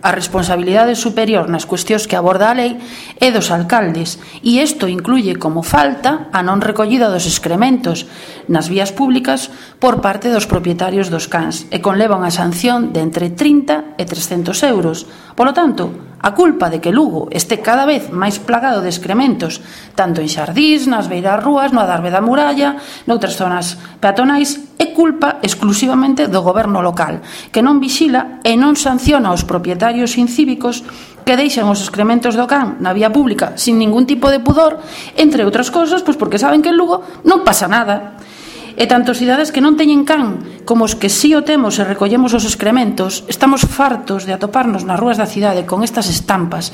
a responsabilidade superior nas cuestións que aborda a lei é dos alcaldes, e isto incluye como falta a non recollida dos excrementos nas vías públicas por parte dos propietarios dos cans e conleva unha sanción de entre 30 e 300 euros. Polo tanto, a culpa de que Lugo este cada vez máis plagado de excrementos, tanto en xardís, nas beiras rúas, no adarve da muralla, noutras zonas peatonais, é culpa exclusivamente do goberno local, que non vixila e non sanciona os propietarios incívicos que deixan os excrementos do can na vía pública sin ningún tipo de pudor, entre outras cosas, pois porque saben que en Lugo non pasa nada. E tanto os cidades que non teñen can como os que sí o temos e recollemos os excrementos, estamos fartos de atoparnos nas rúas da cidade con estas estampas